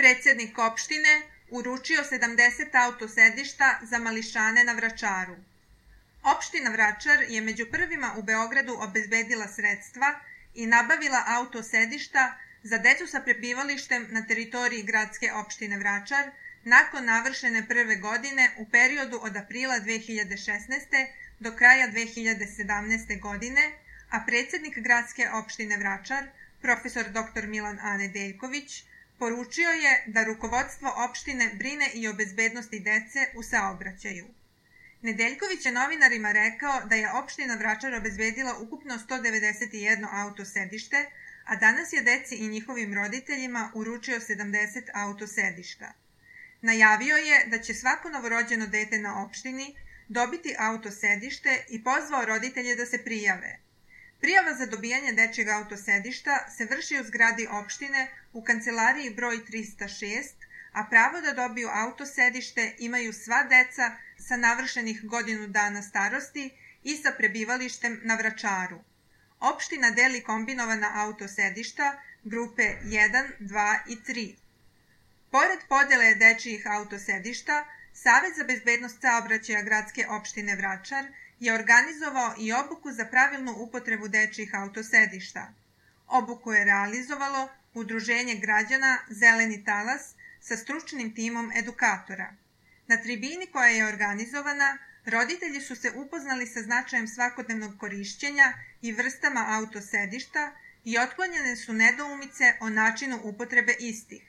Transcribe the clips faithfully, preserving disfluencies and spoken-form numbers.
Predsednik opštine uručio sedamdeset autosedišta za mališane na Vračaru. Opština Vračar je među prvima u Beogradu obezbedila sredstva i nabavila autosedišta za decu sa prebivalištem na teritoriji gradske opštine Vračar nakon navršene prve godine u periodu od aprila dve hiljade šesnaeste. do kraja dve hiljade sedamnaeste. godine, a predsednik gradske opštine Vračar, profesor doktor Milan A. Nedeljković, poručio je da rukovodstvo opštine brine i o bezbednosti dece u saobraćaju. Nedeljković je novinarima rekao da je opština Vračar obezbedila ukupno sto devedeset jedno autosedište, a danas je deci i njihovim roditeljima uručio sedamdeset autosedišta. Najavio je da će svako novorođeno dete na opštini dobiti autosedište i pozvao roditelje da se prijave. Prijava za dobijanje dečjeg autosedišta se vrši u zgradi opštine u kancelariji broj trista šest, a pravo da dobiju autosedište imaju sva deca sa navršenih godinu dana starosti i sa prebivalištem na Vračaru. Opština deli kombinovana autosedišta grupe jedan, dva i tri. Pored podele dečijih autosedišta, Savet za bezbednost saobraćaja gradske opštine Vračar je organizovao i obuku za pravilnu upotrebu dečijih autosedišta. Obuku je realizovalo Udruženje građana Zeleni talas sa stručnim timom edukatora. Na tribini koja je organizovana, roditelji su se upoznali sa značajem svakodnevnog korišćenja i vrstama autosedišta i otklonjene su nedoumice o načinu upotrebe istih.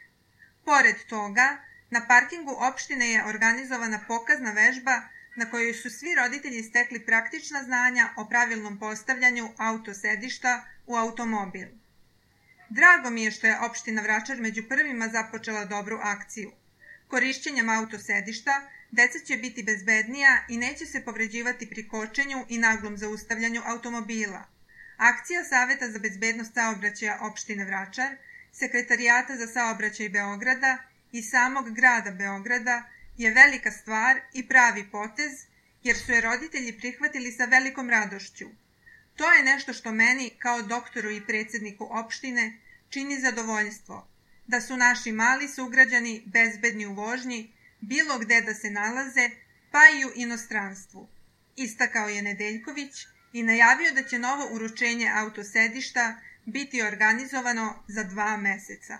Pored toga, na parkingu opštine je organizovana pokazna vežba na kojoj su svi roditelji stekli praktična znanja o pravilnom postavljanju autosedišta u automobil. Drago mi je što je opština Vračar među prvima započela dobru akciju. Korišćenjem autosedišta deca će biti bezbednija i neće se povređivati pri kočenju i naglom zaustavljanju automobila. Akcija Saveta za bezbednost saobraćaja opštine Vračar, Sekretarijata za saobraćaj Beograda i samog grada Beograda je velika stvar i pravi potez, jer su je roditelji prihvatili sa velikom radošću. To je nešto što meni, kao doktoru i predsedniku opštine, čini zadovoljstvo, da su naši mali sugrađani bezbedni u vožnji, bilo gde da se nalaze, pa i u inostranstvu. Istakao je Nedeljković i najavio da će novo uručenje autosedišta biti organizovano za dva meseca.